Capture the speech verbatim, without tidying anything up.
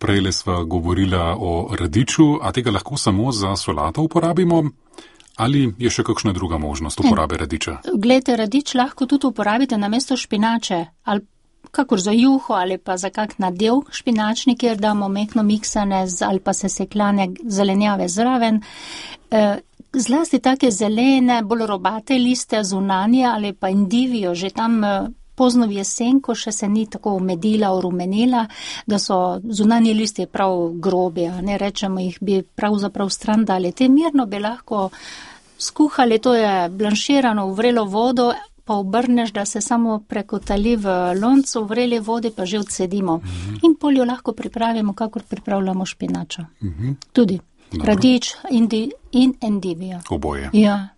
Prejle sva govorila o radiču, a tega lahko samo za solato uporabimo? Ali je še kakšna druga možnost uporabe radiča? Glejte, radič lahko tudi uporabite namesto špinače, ali kakor za juho, ali pa za kak nadev špinačni, kjer damo mehko miksane ali pa sesekljane zelenjave zraven. Zlasti take zelene, bolj robate liste, zunanje ali pa indivijo, že tam pozno v jesen, ko še se ni tako omedila, orumenila, da so zunanji listi prav grobi, a ne rečemo, jih bi pravzaprav stran dali. Te mirno bi lahko skuhali, to je blanširano v vrelo vodo, pa obrneš, da se samo prekotali v loncu, v vreli vodi pa že odsedimo. Mm-hmm. In poljo lahko pripravimo, kakor pripravljamo špinačo. Mm-hmm. Tudi. Dobro. Radič indi, in endivijo. Oboje. Ja.